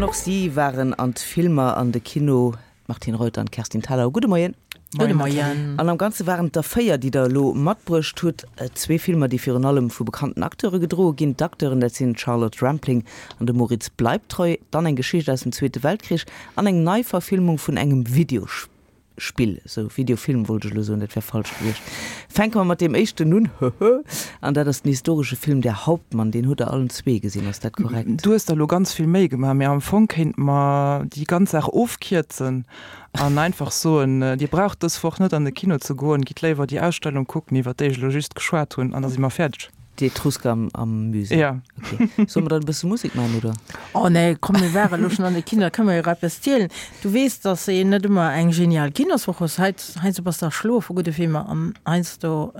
An och si waren an d'Filmer an de Kino, d'Martine Reuter an d'Kerstin Thalau. Gudde Moien. Gudde Moien. An am Ganze waren et der 4, déi der elo matbruecht hutt. Zwee Filmer, déi virun allem vu bekannten Acteure gedroe ginn. D'Acteuren, dat sinn d'Charlotte Rampling an de Moritz Bleibtreu. Dann eng Geschicht aus dem Zweete Weltkrich an eng Neiverfilmung vun engem Videospill. Sou, Videofilm wollt ech elo soen, dat wär falsch gewiescht. Fänke mer mat deem éischten un, höhö. An dat ass den historesche Film Der Hauptmann. Deen hutt der allen zwee gesinn, ass dat korrekt? Du hues der elo ganz vill Méi gemaach, mee am Fong kéinte mer déi ganz Saach ofkierzen An einfach soen, Dir braucht dës Woch net an de Kino ze goen, gitt léiwer déi Ausstellung kucken, iwwer déi ech elo just geschwat hunn, an da si mer fäerdeg. D'Etrusker am, am Musée. Ja. Okay. Solle mer dann e bësse Musek maachen, oder? Oh nee, komm, mir ware elo schonn an de Kino, da kënne mer jo och eppes zielen. Du weess, dass een net ëmmer eng genial Kinoswoch hues. Hei, heiansdo bass de erschloe vu gudde Filmer an heiansdo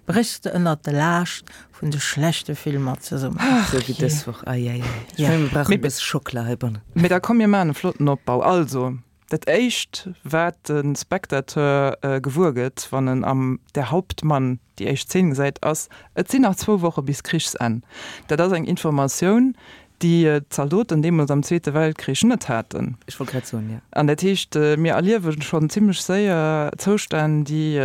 bréchs de ënnert de Laascht vun de schlechte Filmer zesummen. Ach Sou wéi dës Woch, ei, ei, ei. Ech mengen, mir brauchen e bësse Schockela heibannen. Mee da komm, mir maachen e flotten Opbau. Also, dat éischt, wat de Spectateur gewuer gëtt, wann en am Der Hauptmann déi éischt Zeen gesäit, ass, Et sinn nach zwou Woche bis Krichsenn. Dat ass eng Informatioun, déi d'Zaldoten deemools am Zweete Weltkrich net haten. Ech wollt grad soen, jo. An dat heescht, mir erliewe schonn zimmlech séier Zoustänn, déi,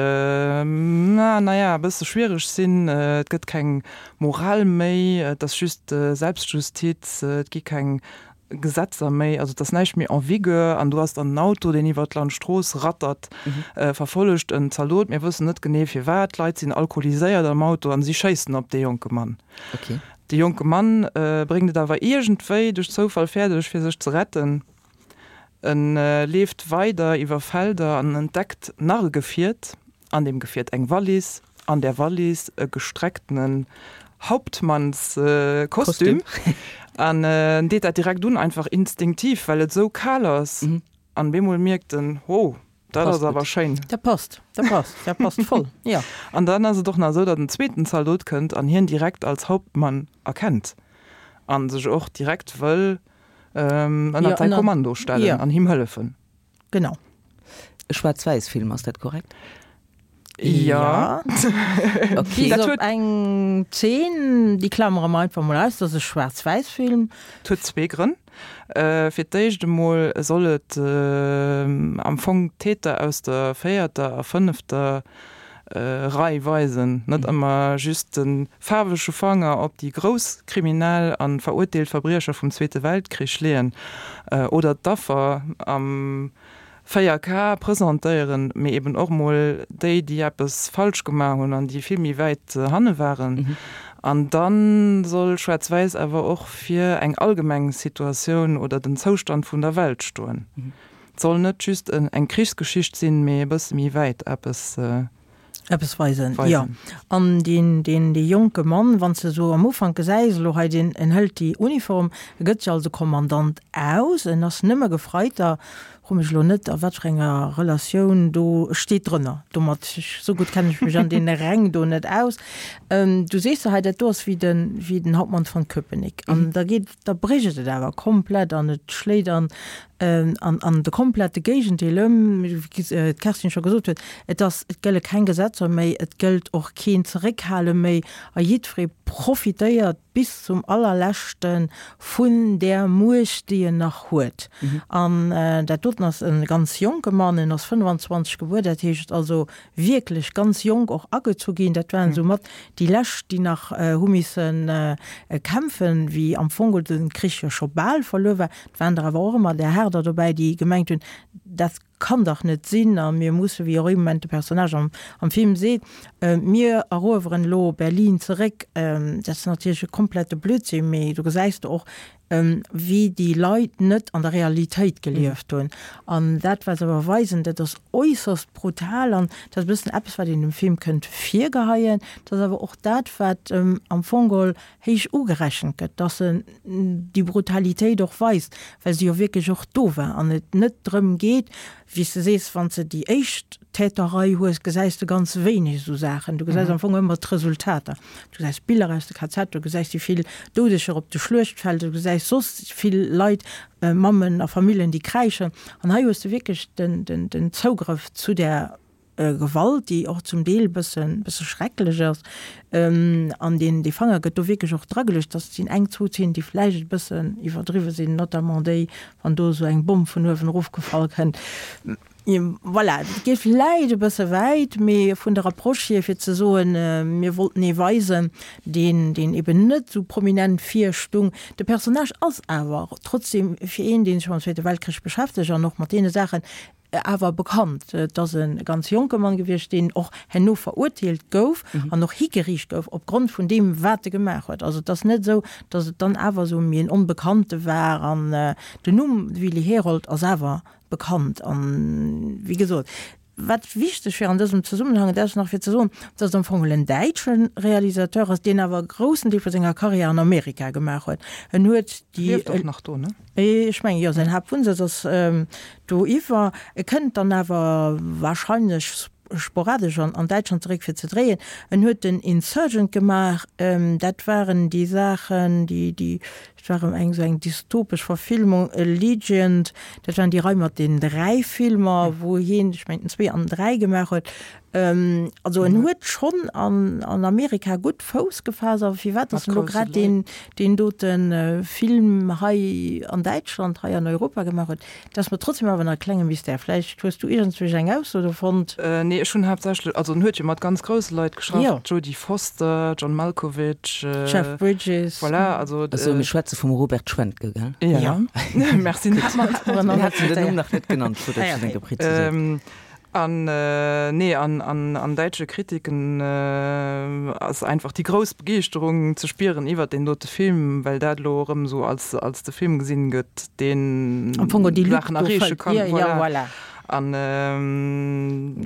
na ja, e bësse schwiereg sinn. Et gëtt keng Moral méi, et ass just Selbstjustiz, et gi keng Gesetzer méi, also et ass näischt méi en vigueur. An du has dann en Auto, deen iwwer d'Landstrooss rattert, verfollegt en Zaldot, mir wëssen net genee firwat, d'Leit sinn alkoholiséiert am Auto an si schéissen op dee jonke Mann. Okay. De jonke Mann bréngt et awer iergendwéi duerch Zoufall fäerdeg, fir sech ze retten. En leeft weider iwwer Felder an entdeckt nach e Gefiert. An deem Gefiert eng Wallis, an där Wallis e gestrecktenen Hauptmannskostüm. An en deet dat direkt un, einfach instinktiv, well et esou kal ass. An bemol mierkt en, Ho, Dat ass awer schéin. Dat passt, dat passt, dat passt voll, jo. An dann ass et och nach esou, datt en zweeten Zaldot kënnt an hien direkt als Hauptmann erkennt a sech och direkt wëll ënnert säi Kommando stellen an him hëllefen. Genau. E Schwaarz-Wäiss-Film, ass dat korrekt? Ja. Okay. Bis op eng Zeen, déi klamere mer einfach mol aus, dat ass e Schwaarz-Wäiss-Film. Et huet zwee Grënn. Fir d'éischt emol soll et am Fong d'Täter aus der véierter a fënnefter Rei weisen, net ëmmer just de faarwege Fanger op déi grouss Kriminell a verurteelt Verbriecher vum Zweete Weltkrich leeën oder d'Affer am 4K presentéieren, mee eben och mol déi, déi eppes falsch gemaach hunn an déi vill méi wäit hanne waren. An da soll Schwaarz-Wäiss awer och fir eng allgemeng Situatioun oder den Zoustand vun der Welt stoen. Et soll net just eng Krichsgeschicht sinn, mee e bësse méi wäit eppes. Eppes weisen, jo. An deen, deen, dee jonke Mann, wann s de esou am Ufank gesäis, elo hei, deen, en hëlt déi Uniform, e gëtt sech als e Kommandant aus, en ass nëmme Gefreiter, fro mech elo net, a wat fir enger Relatioun do steet drënner, domat, esou gutt kenne ech mech an deene Räng do net aus. Du sees se hei, dat do ass wéi den, wéi den Hauptmann von Köpenick. An da geet, da brécht et awer komplett an et schléit an, an, an de komplette Géigendeel ëm, wéi d'Kerstin scho gesot huet, et ass, et gëlle keng Gesetzer méi, et gëllt och keen Zeréckhale méi a jiddweree profitéiert bis zum allerleschte vun där Muecht, déi en nach huet. An dat doten ass e ganz jonke Mann, en ass 25 gebuer, dat heescht also wierklech ganz jonk och agezu ginn. Dat waren esou mat déi lescht, déi nach hu misse kämpfen, wéi am Fong de Krich jo scho bal verluer war. Et waren der awer och ëmmer där Haarder dobäi, déi gemengt hunn, dat kann dach net sinn a mir musse, wéi och ee Moment de Personnage am am Film seet, mir erueweren elo Berlin zeréck. Dat ass natierlech e komplette Blödsinn, mee do gesäis de och, wéi déi Leit net an der Realitéit gelieft hunn. An dat, wat se awer weisen, dat ass äusserst brutal an dat ass e bëssen eppes, wat een dem Film kënnt virgeheien. Dat ass awer och dat, wat em am Fong geholl héich ugerechent gëtt, dass en déi Brutalitéit och weist, well se jo wierklech och do war an et net drëm geet, wéi s de sees, wann s de déi éischt Täterrei hues, gesäis de ganz wéineg esou Saachen. Du gesäis am Fong ëmmer d'Resultater. Du gesäis Biller aus de KZ, du gesäis déi vill Doudeger op de Schluechtfelder, du gesäis soss vill Leit, Mammen a Familljen, déi kräischen. An hei hues de wierklech den Zougrëff zu där. Gewalt, déi och zum Deel bësse bësse schrecklech ass. An deen dee Fanger gëtt do wierklech och drageluecht. Dat sinn eng, zwou Zeenen, déi vläicht e bëssen iwwerdriwwe sinn, notamment déi, wann do esou eng Bomm vun uewen erofgefall kënnt. Voilà, dat geet vläicht e bësse wäit, mee vun der Approche hier, fir ze soen, mir wollten ee weisen, deen, deen eben net esou prominent virstung. De Personnage ass awer trotzdem fir een, dee sech mam Zweete Weltkrich beschäftegt an och mat deene Saachen, awer bekannt. Et ass e ganz jonke Mann gewiescht, deen och herno verurteelt gouf an och higeriicht gouf opgrond vun deem, wat e gemaach huet. Also et ass net esou, datt et dann awer esou méi en Onbekannte war. An den Numm Willi Herold ass awer bekannt. An, wéi gesot, wat wichteg wier an dësem Zesummenhang, dat ass nach fir ze soen, datt et am Fong en däitsche Realisateur ass, deen awer e groussen Deel vu senger Karriär an Amerika gemaach huet. En huet déi. Lieft och nach do, ne? Ech mengen, jo, säin Haaptwunnsëtz ass do iwwer. E kënnt dann awer wahrscheinlech sporadesch an Däitschland zeréck fir ze dréien. En huet den Insurgent gemaach, dat waren déi Saachen, déi, déi, dat war erëm eng esou eng dystopesch Verfilmung, Allegiant, dat waren déi Rei mat den 3 Filmer, wou hien, ech mengen den 2 an den 3 gemaach huet. Also en huet schonn an Amerika gutt Fouss gefaasst, awer firwat datt en elo grad deen deen dote Film hei an Däitschland, hei an Europa gemaach huet, dat ass mer trotzdem awer nach e klenge Mystère. Vläicht hues du iergendzwousch eng Ausso do fonnt? Nee, ech hunn haaptsächlech, also en huet jo mat ganz grousse Leit geschafft, Jodie Foster, John Malkovich, Jeff Bridges. Voilà, also. Also mir schwätze vum Robert Schwentke, gell? Jo, merci. Mir haten den Numm nach net genannt, gutt, datt s du den gepreziséiert. An nee, an an däitsche Kritiken ass einfach déi grouss Begeeschterung ze spieren iwwert deen dote Film, well dat elo erëm esou als als de Film gesinn gëtt, deen Saachen erreeche kann. Voilà. An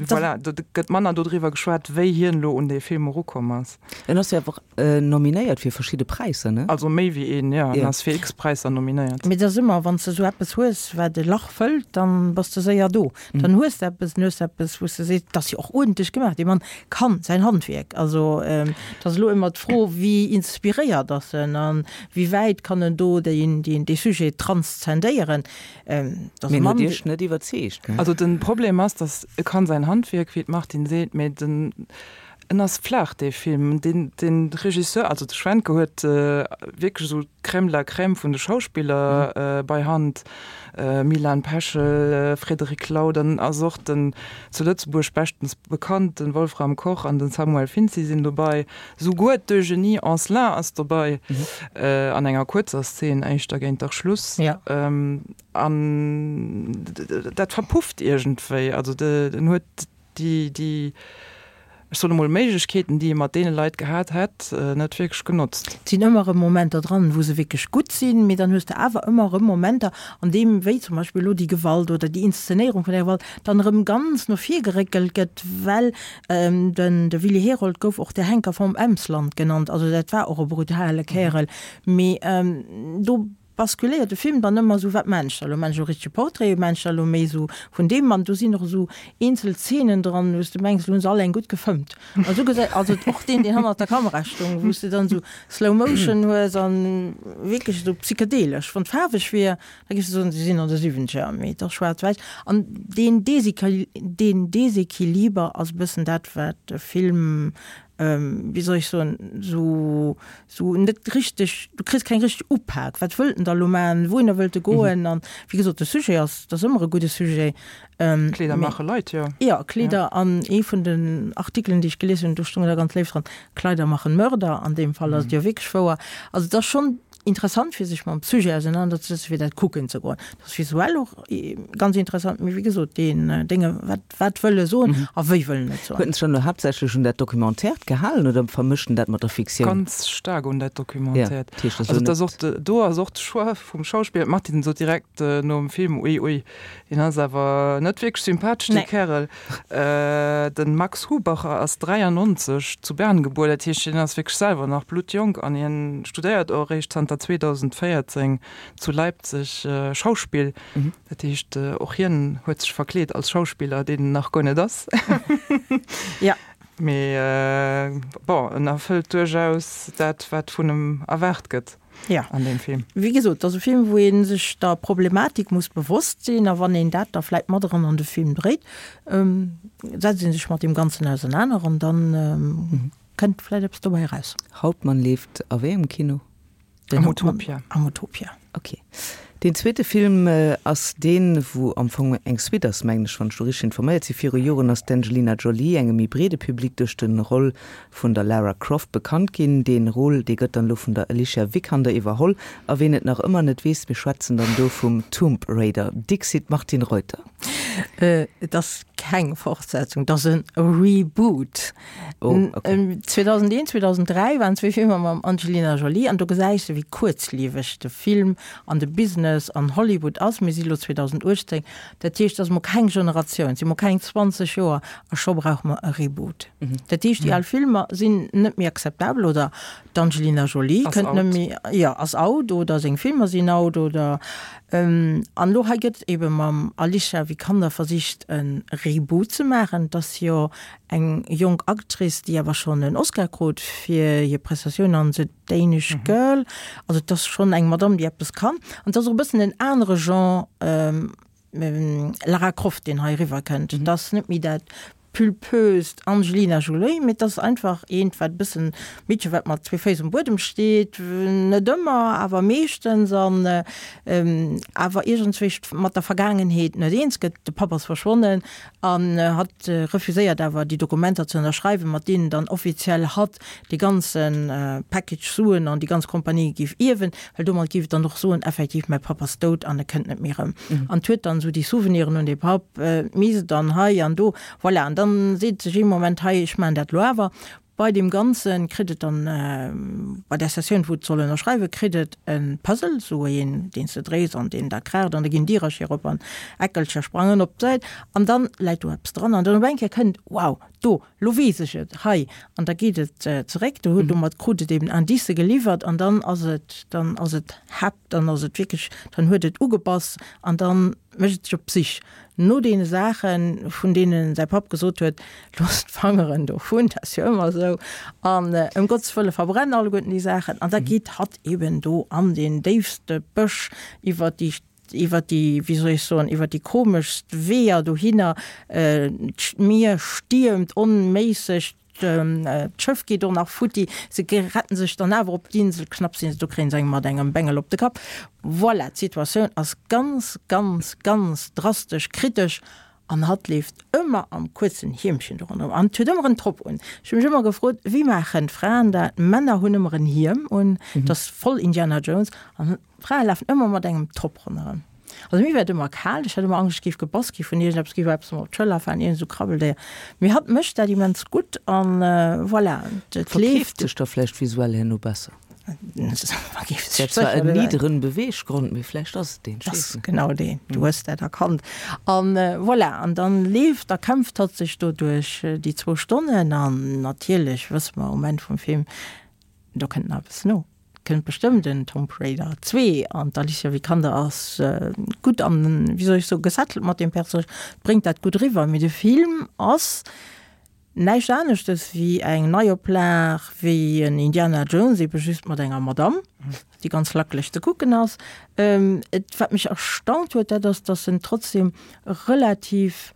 voilà, do gëtt manner dodriwwer geschwat, wéi hien elo un dee Film erukomm ass. En ass jo awer och nominéiert fir verschidde Präisser, ne? Also méi wéi een, jo. En ass fir x Präisser nominéiert. Mee et ass ëmmer, wann s de esou eppes hues, wat e Lach fëllt, dann bass de séier do. Dann hues de eppes, dann hues de eppes, wou s de sees, dat ass jo och uerdentlech gemaach, dee Mann kann säin Handwierk. Also et ass elo ëmmer d'Fro, wéi inspiréiert ass en a wéi wäit kann en do dee Sujet transzendéieren. Et ass e Mee en huet Mann, Iech net iwwerzeegt, ne? Also den Problem ass, dass e kann säin Handwierk, wéi d'Martine seet, mee den En ass flaach dee Film. Den den Regisseur, also de Schwentke huet wierklech esou d'Crème de la Crème vun de Schauspiller bei Hand, Milan Peschel, Frédéric Lau, dann ass och den zu Lëtzebuerg beschtens bekannten Wolfram Koch an den Samuel Finzi sinn dobei. Souguer d'Eugénie Anselin ass dobei an enger kuerzer Szene éischter géint der Schluss. An dat verpufft iergendwéi. Also en huet déi, déi, ech soen emol, Méiglechkeeten, déi e mat deene Leit gehat hätt, net wierklech genotzt. Et sinn ëmmer erëm Momenter dran, wou se wierklech gutt sinn, mee dann hues de awer ëmmer erëm Momenter, an deem, wéi zum Beispill elo déi Gewalt oder déi Inszenéierung vun där Gewalt, dann erëm ganz no vir geréckelt gëtt, well den, de Willy Herold gouf och der Henker vom Emsland genannt, also dat war och e brutale Kärel, mee do basculéiert de Film dann ëmmer esou, wat maan ech da elo? Maan ech elo e richtege Portrait? Maan ech da elo méi esou vun deem Mann? Do sinn och esou eenzel Zeenen dran, wou s de mengs, elo hunn se all eng gutt gefëmmt. An esou gesäit, also och deen, deen hannert der Kamera stoung, wou s de dann esou Slow Motion hues an wierklech esou psychedelesch. Wann et faarweg wier, da géifs de soen, se sinn an de Siwwenzeger, mee et ass schwaarz-wäiss. An deen deen Desequiliber ass e bëssen dat, wat de Film wéi soll ech soen, esou, esou net richteg, du kriss keng richteg Upak, wat wëllt en da elo maachen, wouhinner wëllt e goen? An wéi gesot, de Sujet ass, dat ass ëmmer e gudde Sujet. Kleeder maache Leit, jo. Jo, Kleeder, an ee vun den Artikelen, déi ech gelies hunn, do stoung da ganz léif dran, Kleider machen Mörder, an deem Fall ass et jo wierklech wouer. Also et ass schonn interessant fir sech mam Sujet ausenanerzesetzen, fir dat kucken ze goen. Dat ass visuell och ganz interessant, mee wéi gesot, deen Dénge, wat, wat wëll e soen a wéi wëll en et soen? Huet en sech dann elo haaptsächlech un dat Documentaire gehalen oder vermëscht en dat mat der Fiktioun? Ganz staark un dat Documentaire. Ja, dat heescht, dat ass elo net. Also do ass och de Choix vum Schauspiller, d'Martine sot direkt nom Film, ui ui, deen ass awer net wierklech sympathesch, dee Kärel. De Max Hubacher ass 93 zu Bern gebuer, dat heescht hien ass wierklech selwer nach bluttjonk an hien studéiert och eréischt zanter 2014 zu Leipzig Schauspill. Dat heescht och hien huet sech verkleet als Schauspiller, deen en nach guer net ass. Jo. Mee bon, en erfëllt duerchaus dat, wat vun em erwaart gëtt an deem Film. Wéi gesot, et ass e Film, wou ee sech der Problematik muss bewosst sinn. A wann een dat da vläit mat eran an de Film dréit, setzt ee sech mat deem Ganzen ausernaner an da kënnt vläit eppes dobäi eraus. Hauptmann leeft a wéi engem Kino? Den Am Utopia. Am Utopia. Ok. Deen zweete Film ass deen, wou am Fong eng Suite ass, mengen ech, wann ech do richteg informéiert sinn. Viru Joren ass d'Angelina Jolie engem méi breede Public duerch de Roll vun der Lara Croft bekannt ginn. Dee Rôle, dee gëtt dann elo vun der Alicia Vikander iwwerholl. A ween et nach ëmmer net weess, mir schwätzen dann do vum Tomb Raider. Dixit Martine Reuter. Et ass keng Fortsetzung, et ass e Reboot. Oh, okay. 2001, 2003 waren zwee Filmer mam Angelina Jolie an do gesäis de wéi kuerzlieweg de Film an de Business an Hollywood ass. Mir si lo 2018, dat heescht, et ass mol keng Generatioun, et si mol keng 20 Joer a scho brauche mer e Reboot. Dat heescht, déi al Filmer sinn net méi akzeptabel oder d'Angelina Jolie kënnt net méi, jo, ass out oder seng Filmer sinn out oder an elo hei gëtt ebe mam Alicia Vikander versicht e Reboot ze maachen. Et ass jo Eng jonk Actrice, déi awer schonn en Oscar krut fir hir Prestatioun an The Danish Girl. Also et ass schonn eng Madame, déi eppes kann. An et ass och e bëssen en anere Genre Lara Croft, deen hei eriwwer kënnt. Et ass net méi dat pulpöst Angelina Jolie, mee et ass einfach eent, wat e bëssen, Meedche wat mat zwee Féiss um Buedem steet, net ëmmer, awer meeschtens, an awer iergendswéi mat der Vergaangenheet net eens gëtt. De Papp ass verschwonnen An hatt refuséiert awer, déi Dokumenter ze ënnerschreiwen, mat deenen dann offiziell hatt dee ganze Package Suen an déi ganz Kompanie géif ierwen, well domat géif et dann och soen, effektiv, mäi Papp ass dout an e kënnt net méi erëm. An 't huet dann esou déi Souveniren un dee Papp, d'Mise dann hei an do, voilà. An dann seet sech ee Moment, hei, ech maachen dat elo awer. Bei deem Ganze kritt et dann, bei där Sessioun, wou et soll ënnerschreiwen, kritt et e Puzzle, esou een, deen s de dréis an deen da kraacht an da ginn Dierercher op an Eckelcher sprangen op d'Säit an dann läit do eppes dran an dann op eng Kéier kënnt, Wow, do, lo weess ech et, hei! An da geet et zeréck, do huet, domat krut et eben Indicë geliwwert an dann ass et, dann ass et hep, dann ass et wierklech, dann huet et ugebass an dann mécht et sech op d'Sich no deene Saachen, vun deenen säi Papp gesot huet, Looss d'Fangeren dovun, dat ass jo ëmmer esou, an ëm Gottes Wëlle verbrenn alleguerten déi Saachen. An da geet hatt eben do an deen déifste Bësch iwwer déi, iwwer déi, wéi soll ech soen, iwwer déi komeschst Weeër dohinner, d'Mier stiermt onméisseg, D'Schëff geet och nach futti, se retten sech dann awer op d'Insel, knapp sinn se do, kréien se eng mat engem Bengel op de Kapp. Voilà, d'Situatioun ass ganz, ganz, ganz drastesch, kritesch an hatt leeft ëmmer am kuerzen Hiemchen do ronderëm an huet ëmmer en Top un. Ech hu mech ëmmer gefrot, wéi maachen d'Fraen dat? D'Männer hunn ëmmer en Hiem un, et ass voll Indiana Jones an D'Frae lafen ëmmer mat engem Top ronderëm. Also mir war et ëmmer kal, ech hat ëmmer Angscht, ech géif gebass gi vun iergendeppes, géif eppes mer op d'Schëller falen, iergend esou Krabbeldéier. Mee hatt mécht dat immens gutt an voilà, et leeft. Verkeeft sech da vläicht visuell herno besser? Dat zwar en nidderen Beweeggrond, mee vläicht ass et deen, ech weess net. Genau deen, du hues dat erkannt. An voilà, an dann leeft a kämpft hatt sech do duerch déi zwou Stonnen an natierlech wësse mer um Enn vum Film, do kënnt nach eppes no. Kënnt bestëmmt en Tomb Raider 2 an d'Alicia Vikander ass gutt an, wéi soll ech soen, gesettelt mat deem Personnage, bréngt dat gutt eriwwer. Mee de Film ass näischt aneschtes wéi eng Neioplag wéi en Indiana Jones, ebe just mat enger Madamm, déi ganz lackeleg ze kucken ass. Et, wat mech erstaunt huet, dat ass, datt en trotzdem relativ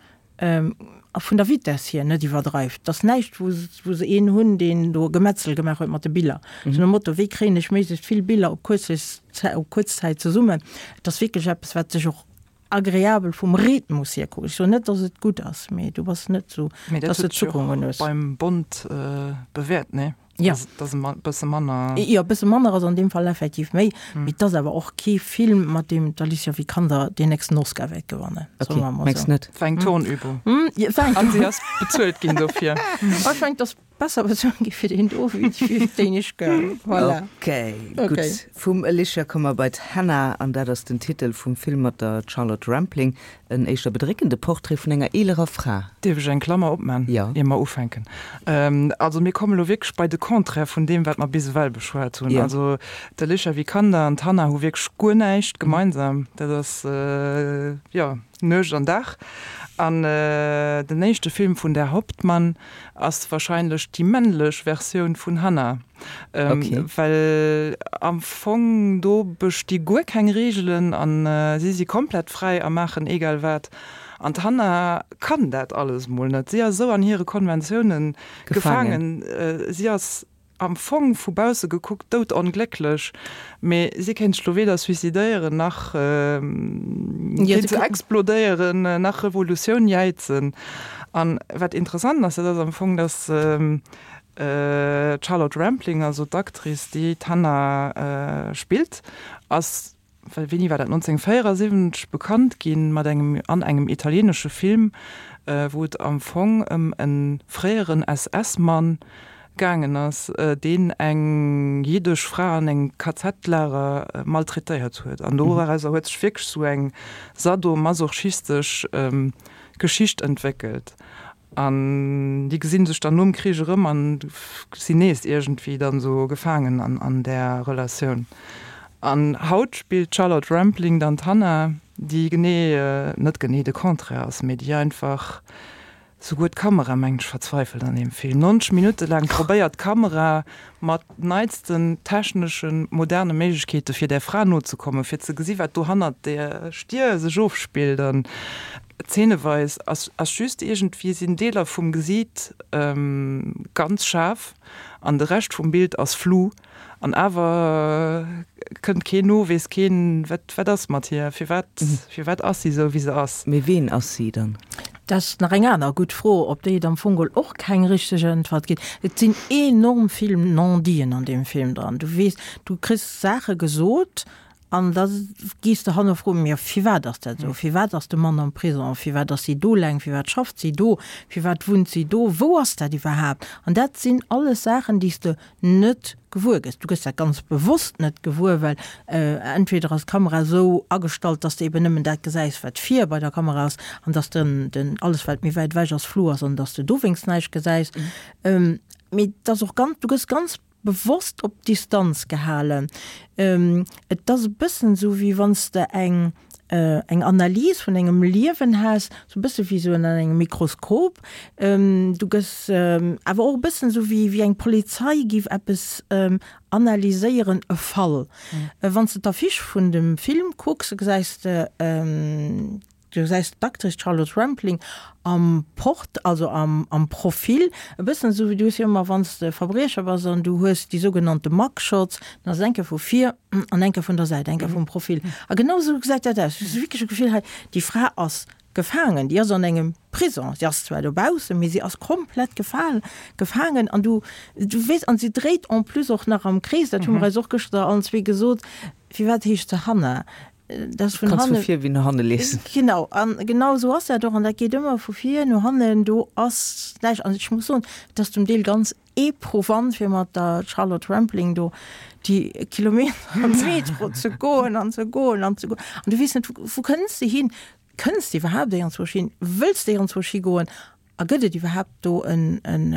A vun der Vitess hier net iwwerdreift. Et ass näischt, wou wou se een hunn, deen do e Gemetzel gemaach huet mat de Biller. Sou nom Motto, wéi kréien ech méiglechst vill Biller op kuerzest op kuerz Zäit zesummen. Et ass wierklech eppes, wat sech och agreabel vum Rhythmus hier kuckt. Ech soen net, datt et gutt ass, mee du bass net sou, Mee dat datt s de huet sech Zuckungen och hues. beim Bond bewäert, nee? Ja. Dass e bësse manner. Jo, e bësse manner ass an deem Fall effektiv méi. Mee et ass awer och kee Film, mat deem d'Alicia Vikander deen nächsten Oscar wäert gewannen. Ok, mengs net? War eng Turnübung. An si ass bezuelt ginn dofir. Ech mengen, et ass besser bezuelt gi fir deen do wéi fir d'Danish Girl. Voilà. Ok, gutt. Vum Alicia komme mer bei d'Hannah, an dat ass den Titel vum Film mat der Charlotte Rampling. En éischter bedréckende Portrait vun enger eelerer Fra. Dierf ech eng Klammer opman, Jo. ier mer ufänken? Also mir kommen elo wierklech bei de Contraire vun deem, wat mer bis ewell beschwat hunn. Jo. Also d'Alicia Vikander an d'Hannah hu wierklech guer näischt gemeinsam. Dat ass, jo, Nuecht an Dag. An den éischte Film vun Der Hauptmann ass wahrscheinlech déi männlech Versioun vun Hanna. Well am Fong do besti guer keng Reegelen an si si komplett fräi a maachen egal wat. An d'Hanna kann dat alles mol net. Si ass esou an hire Konventiounen gefaangen. Si ass am Fong vu bausse gekuckt doudonglécklech, mee si kéint sech lo weder suicidéieren, nach kéint se explodéieren, nach Revolutioun jäizen. An wat interessant ass, dat ass am Fong, datt d'Charlotte Rampling, also d'Actrice, déi d'Hannah spillt, ass well wéini war dat, 1974 bekannt ginn mat engem an engem italienesche Film, wou et am Fong ëm e fréieren SS-Mann gaangen ass, deen eng jiddesch Fra an engem KZ-Lager maltraitéiert huet. An dorauser huet sech wierklech esou eng sadomasochistesch Geschicht entwéckelt. An déi gesinn sech dann nom Krich erëm an sinn nees iergendwéi dann esou gefaangen an där Relatioun. An haut spillt d'Charlotte Rampling dann d'Hannah, déi genee, net genee de Contraire ass, mee déi einfach, souguer d'Kamera mengt ech verzweifelt an deem Film. 90 Minutte laang probéiert d'Kamera mat neitsten techneschen, moderne Méiglechkeete fir där Fra nozekommen, fir ze gesi wat do hannert där Stier sech ofspillt. An Zeeneweis ass ass just iergendwéi sinn Deeler vum Gesiit ganz schaarf an de Rescht vum Bild ass flou an awer kënnt keen no, weess keen wat wat ass mat hir, firwat firwat ass si esou wéi se ass. Mee ween ass si dann? Dat ass nach eng aner gutt Fro, op déi et am Fong geholl och keng richteg Äntwert ginn. Et sinn enorm vill Non-diten an deem Film dran. Du weess, du kriss Saache gesot An da gees de hanne froen, jo firwat ass dat esou, firwat ass de Mann am Prison, firwat ass si do laang, firwat schafft si do, firwat wunnt si do, wou ass dat iwwerhaapt? An dat sinn alles Saachen, déi s de net gewuer gëss. Du gëss dat ganz bewosst net gewuer, well entweder ass d'Kamera esou agestallt, dass de eben nëmmen dat gesäis, wat vir bei der Kamera ass, an dass den, den alles wat méi wäit ewech ass, flou ass an dass de dowéinst näischt gesäis. Mee et ass och ganz, du gëss ganz bewosst op Distanz gehalen. Et ass e bëssen esou, wéi wann s de eng eng Analys vun engem Liewen häss, esou e bësse wéi esou ënner engem Mikroskop. Du gëss awer och e bëssen esou wéi wéi eng Polizei géif eppes analyséieren, e Fall. Wann s de d'Affiche vun dem Film kucks, gesäis de, Du gesäis d'Actrice Charlotte Rampling am Port, also am am Profil, e bëssen esou wéi du hues jo ëmmer, wann s de Verbriecher bass an du hues déi sougenannte Mugshots, dann ass et eng Kéier vu vir an eng Kéier vun der Säit, eng Kéier vum Profil. A genau esou gesäit dat aus. Du hues wierklech e Gefill, hei, déi Fra ass gefaangen, déi ass an engem Prison. Si ass zwar dobaussen, mee si ass komplett gefal gefaangen an du du weess, an si dréit en plus och nach am Krees, dat hu mer eis och gëschter allen zwee gesot, firwat heescht se Hanna? Das vun Kannst vu vir wéi no hanne liesen. Genau, an genau esou ass dat och, an dat geet ëmmer vu vir no hannen, do ass näischt. An ech muss soen, et ass zum Deel ganz éprouvant, fir mat der Charlotte Rampling do déi Kilometer am Metro ze goen an ze goen an ze goen. An du weess net, wou kënns de hin? Kënns de iwwerhaapt iergendzwousch hin? Wëlls de iergendzwousch higoen? A gëtt et iwwerhaapt do en, en,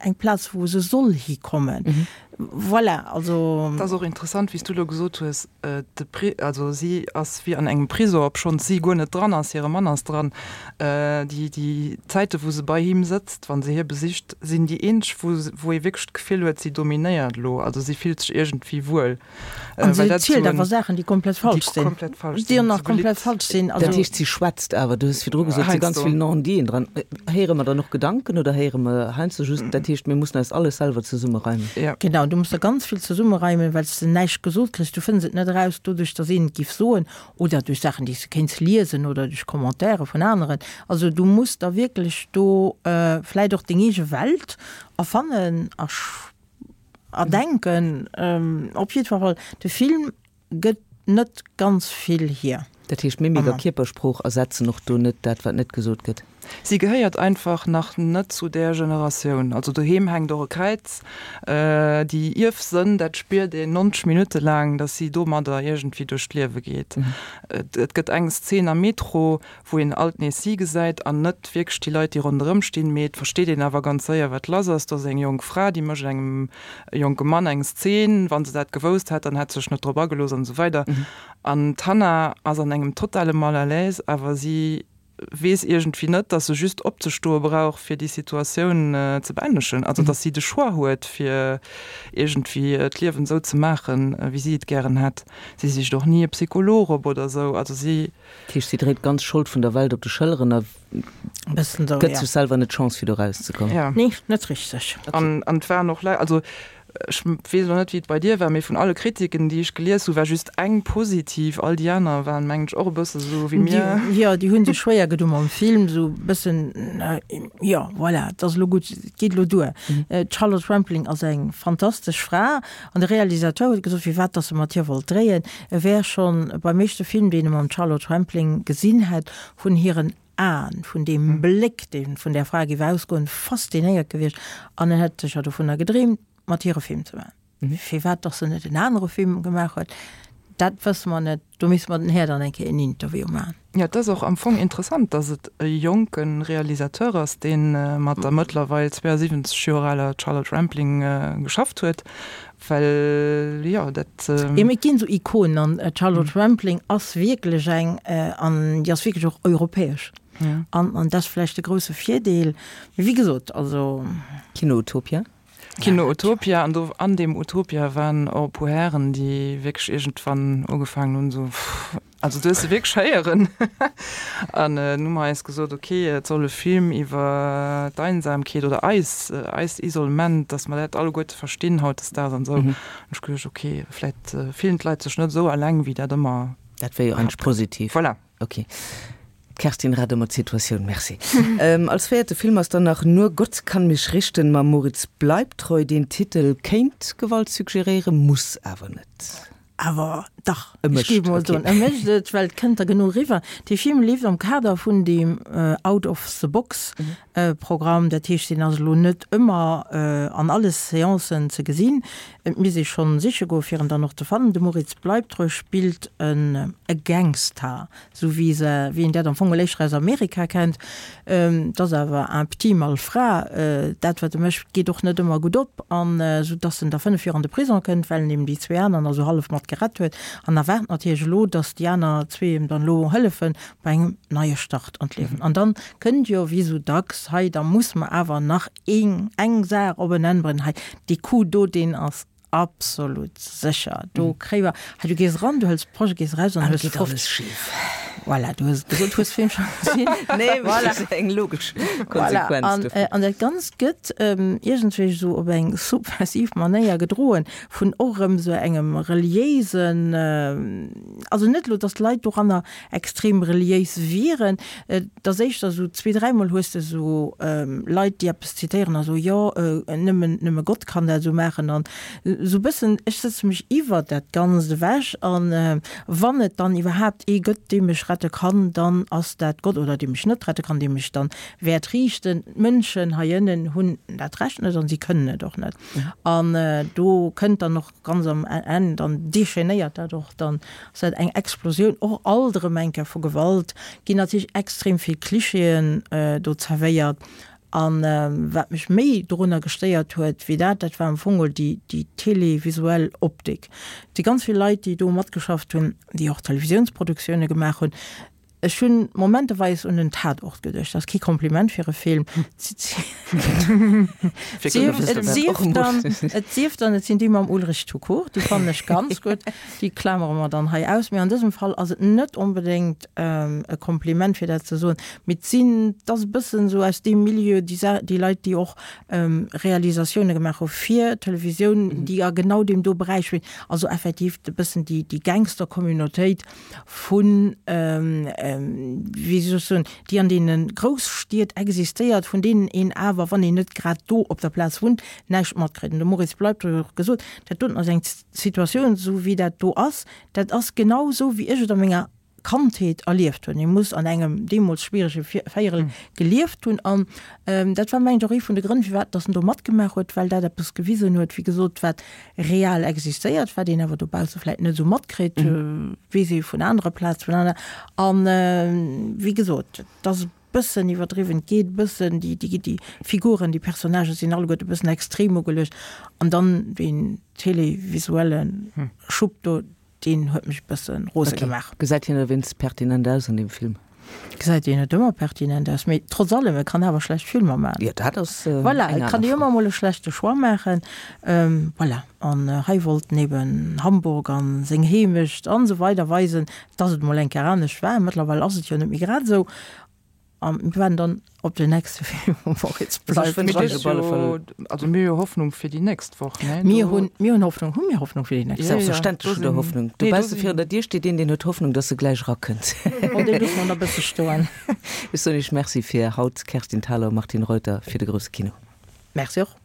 eng Plaz, wou se soll hikommen? Voilà, also. Et ass och interessant, wéi s du elo gesot hues, de Pri, also si ass wéi an engem Prisong, obschonns si guer net dran ass, hire Mann ass dran. Déi, déi Zäite wou se bei him sëtzt, wa se hie besicht, sinn déi eenzeg, wou, wou ee wierklech d'Gefill huet, si dominéiert elo, also si fillt sech iergendwéi wuel. An si zielt awer Saachen, déi komplett falsch sinn. Déi komplett falsch sinn. Déi nach komplett falsch sinn. Dat heescht, si schwätzt awer, du hues virdru gesot, et si ganz vill Non-diten dran. Héiere mer dann och Gedanken oder héiere mer heiansdo just, dat heescht, mir mussen eis alles selwer zesummereimen? Genau, du muss der ganz vill zesummereimen, well s de näischt gesot kriss. Du fënns et net eraus doduerch, datt een et giff soen oder duerch Saachen, déi s de kéints liesen oder duerch Commentaire vun aneren. Also du muss der wierklech do vläicht och deng eege Welt erfannen a. Erdenken. Op jiddwer Fall, de Film gëtt net ganz vill hier. Dat heescht, Mimik a Kierpersprooch ersetzen och do net dat, wat net gesot gëtt? Si gehéiert einfach nach net zu där Generatioun. Also doheem hänkt och e Kräiz. Déi Ierfsënn, dat spiert een 90 Minutte laang, datt si domadder iergendwéi duerch d'Liewe geet. Et gëtt eng Szen am Metro, wou een alt nees si gesäit an net wierklech déi Leit, déi ronderëm stinn, mee et versteet een awer ganz séier, wat lass ass. Do ass eng jonk Fra, déi mécht engem jonke Mann eng Szen, wa se dat gewousst hätt, dann hätt se sech net drop agelooss an esou weider. An d'Hannah ass an engem totale Mal à l'aise, awer si. Weess iergendwéi net, dass se just opzestoe brauch, fir déi Situatioun ze beendegen. Also dass si de Choix huet, fir iergendwéi d'Liewen esou ze maachen, wéi si et gären hätt. Si sicht och ni e Psycholog op oder esou. Also si. Dat heescht, si dréit d'ganz Schold vun der Welt op de Schëlleren a gëtt sech selwer net d'Chance, fir do erauszekommen. Jo. Nee, net richteg. An et waren och Leit, also Ech weess elo net, wéi et bei dir war, mee vun alle Kritiken, déi ech gelies hu, war just eng positiv. All déi aner waren, mengen ech, och e bësse sou wéi mir. Jo, déi hu sech schwéier gedo mam Film, sou e bëssen, jo, voilà, et ass elo gutt, et geet elo duer. D'Charlotte Rampling ass eng fantastesch Fra an de Realisateur huet gesot, firwat dass e mat hir wollt dréien, e wär schonn beim éischte Film, deen e mam Charlotte Rampling gesinn hätt, vun hiren Aen, vun deem Bléck, dee vun där Fra géif ausgoen, faszinéiert gewiescht an en hätt sécher dovunner gedreemt, mat hir e Film ze maachen. Firwat dass en net en anere Film gemaach huet, dat wësse mer net. Do misste mer den Här dann eng Kéier en Interview maachen. Jo, et ass och am Fong interessant, dass et e jonke Realisateur ass, dee mat der mëttlerweil 72 Joer aler Charlotte Rampling geschafft huet, Well jo, dat. Jo, mee et ginn esou Ikonen an d'Charlotte Rampling ass wierklech eng an déi ass wierklech och europäesch. An an dat ass vläicht de grousse Virdeel. Mee wéi gesot, also. Kino Utopia. Kino Utopia an do an deem Utopia waren och e puer Hären, déi wierklech iergendwann ugefaangen hunn esou. Also du hues se wierklech héieren. An nun hu mer eis gesot, ok, et soll e Film iwwer d'Einsamkeet oder eis, eist Isolement, dass mer dat alleguerte verstinn hautdesdaags an esou. An ech geduecht, ok, vläit fillen d'Leit sech net esou alleng, wéi dat ëmmer. Dat wär jo eigentlech positiv. Voilà. Ok. D'Kerstin rett ëmmer d'Situatioun, merci. Als véierte Film ass dann nach Nur Gott kann mich richten mam Moritz Bleibtreu. Deen Titel kéint Gewalt suggeréieren, muss awer net. Awer dach, ech géif emol soen, e mécht et, well et kënnt der genuch eriwwer. Dee Film leeft am Kader vun deem Out of the Box Programm, dat heescht, deen ass elo net ëmmer an alle Seancen ze gesinn. Et misst ee schonn siche goen, fir en dann och ze fannen. De Moritz Bleibtreu spillt e Gangster, Sou wéi se, wéi een dat am Fong éischter aus Amerika kennt. Et ass awer un petit malfrat. Dat, wat e mécht, geet och net ëmmer gutt op. An sou dass en da 5 Joer an de Prison kënnt, well en eben déi zwee aner nach sou hallef mat gerett huet. An erwaart natierlech elo, dass déi aner zwee em dann elo hëllefe bei engem neie Start an d'Liewen. An dann kënnt jo, wéi sou dacks, hei, da muss mer awer nach een, eng Saach op en Enn bréngen. Hei, dee Coup do, deen ass Absolut sécher. Do kréie mer, hei du gees eran, du hëls d'Projet, gees eraus an hues 50. Voilà, du hues et gesot, hues Film scho gesinn. Nee, voilà. Dat ass eng logesch Konsequenz dovun. An dat Ganzt gëtt iergendwéi esou op eng subversiv Manéier gedroen vun och erëm esou engem reliéisen, also net elo, datt d'Leit doranner extrem reliéis wieren, Et ass éischter esou, zwee, dräimol hues de esou Leit, déi eppes zitéieren a soen, jo, nëmmen, nëmme Gott kann dat esou maachen. An esou e bëssen, ech sëtze mech iwwert dat Ganzt ewech an wann et dann iwwerhaapt ee gëtt, dee mech rette kann, dann ass dat Gott, oder dee mech net rette kann, dee mech dann wäert riichten. D'Mënschen hei ënnen hunn dat Recht net an si kënnen et och net. An do kënnt dann och ganz am Enn, dann déchainéiert dat och, dann ass dat eng Explosioun och alt erëm eng Kéier vu Gewalt, ginn natierlech extrem vill Klischeeën do zerwéiert. An wat mech méi dorunner gestéiert huet wéi dat, dat war am Fong geholl déi, déi televisuell Optik. Et si ganz vill Leit, déi do matgeschafft hunn, déi och Televisiounsproduktioune gemaach hunn, Ech hunn momenteweis un den Tatort geduecht. Dat ass kee Kompliment fir e Film. Et sief dann, et sinn déi mam Ulrich Tukur, déi fannen ech ganz gutt. Déi klamere mer dann hei aus. Mee an dësem Fall ass et net onbedéngt e Kompliment, fir dat ze soen. Mee et sinn, et ass e bëssen esou aus deem Milieu, déi déi Leit, déi och Realisatioune gemaach hu fir Televisioun, déi a genau deem do Beräich spillen. Also effektiv e bëssen déi Gangster-Communautéit. vun, wéi soll ech soen, déi an deene Grousstied existéiert, vun deenen een awer, wann een net grad do op der Plaz wunnt, näischt matkritt. An de Moritz Bleibtreu huet och gesot, dat doten ass eng Situatioun, esou wéi dat do ass, dat ass genau esou, wéi ech et a menger Kandheet erlieft hunn. Ee muss an engem deemools schwierege Véierel gelieft hunn. An dat war, mengen ech, och ee vun de Grënn, firwat datt en do matgemaach huet, well dat eppes gewisen huet, wéi gesot, wat real existéiert, wat een awer dobausse vläit net esou matkritt, weess ee vun anere Plaze, vun aner, an wéi gesot, et ass e bëssen iwwerdriwwen, et geet e bëssen, déi, déi, déi Figuren, déi Personnagen sinn alleguerte e bëssen extrem ugeluecht an dann deen televisuelle Schub do, deen huet mech e bësse rose gemaach. Gesäit hien ewéinst pertinent aus an deem Film? Gesäit een net ëmmer pertinent aus, mee trotz allem, e kann awer schlecht Filmer maachen. Jo, dat ass Voilà, et kann ee ëmmer emol e schlechte Choix maachen. Voilà, an hei wollt en eben Hamburg an seng Heemecht an esou weider weisen, dass et emol eng Kéier anescht war. Mëttlerweil ass et jo net méi grad esou. A mir waarden dann op den nächste Film vum Moritz Bleibtreu. Also mir hu jo Hoffnung fir déi nächst Woch, ne? Mir hunn, mir hunn Hoffnung. Hu mir Hoffnung fir déi nächst Woch? Selbstverständlech hutt Der Hoffnung. Dobausse virun der Dier steet een, deen huet Hoffnung, dass e gläich erakënnt. Bon, dee loosse mer nach e bësse stoen. Ech soen Iech Merci fir haut, Kerstin Thalau, Martine Reuter, fir de grousse Kino. Merci och.